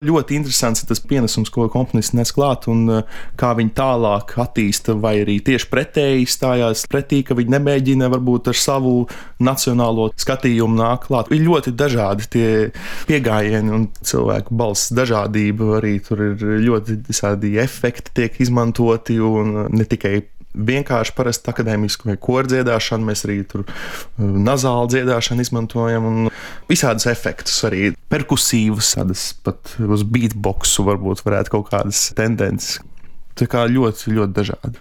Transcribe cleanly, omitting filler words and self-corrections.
Ļoti interesants ir tas pienesums, ko komponists nes klāt, un kā viņi tālāk attīsta, vai arī tieši pretēji stājās pretī, ka viņi nemēģina varbūt ar savu nacionālo skatījumu nāk klāt. Ir ļoti dažādi tie pieejami un cilvēku balss dažādība. Arī tur ir ļoti visādi efekti tiek izmantoti, un ne tikai vienkārši parasti akadēmisku vai koru dziedāšanu, mēs arī tur nazālu dziedāšanu izmantojam un visādus efektus, arī perkusīvus, tādas pat uz beatboxu varbūt varētu kaut kādas tendences. Tā kā ļoti, ļoti dažādi.